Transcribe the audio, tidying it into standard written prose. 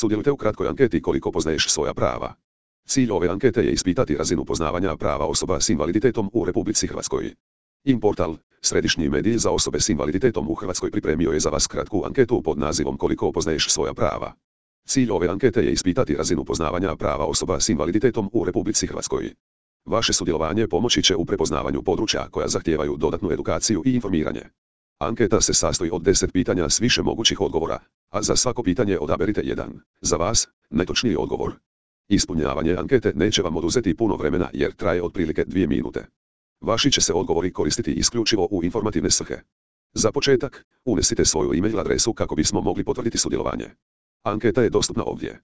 Sudjelujte u kratkoj anketi koliko poznaješ svoja prava. Cilj ove ankete je ispitati razinu poznavanja prava osoba s invaliditetom u Republici Hrvatskoj. Portal, središnji medij za osobe s invaliditetom u Hrvatskoj, pripremio je za vas kratku anketu pod nazivom koliko poznaješ svoja prava. Cilj ove ankete je ispitati razinu poznavanja prava osoba s invaliditetom u Republici Hrvatskoj. Vaše sudjelovanje pomoći će u prepoznavanju područja koja zahtijevaju dodatnu edukaciju i informiranje. Anketa se sastoji od 10 pitanja s više mogućih odgovora, a za svako pitanje odaberite jedan, za vas, najtočniji odgovor. Ispunjavanje ankete neće vam oduzeti puno vremena jer traje otprilike 2 minute. Vaši će se odgovori koristiti isključivo u informativne svrhe. Za početak, unesite svoju e-mail adresu kako bismo mogli potvrditi sudjelovanje. Anketa je dostupna ovdje.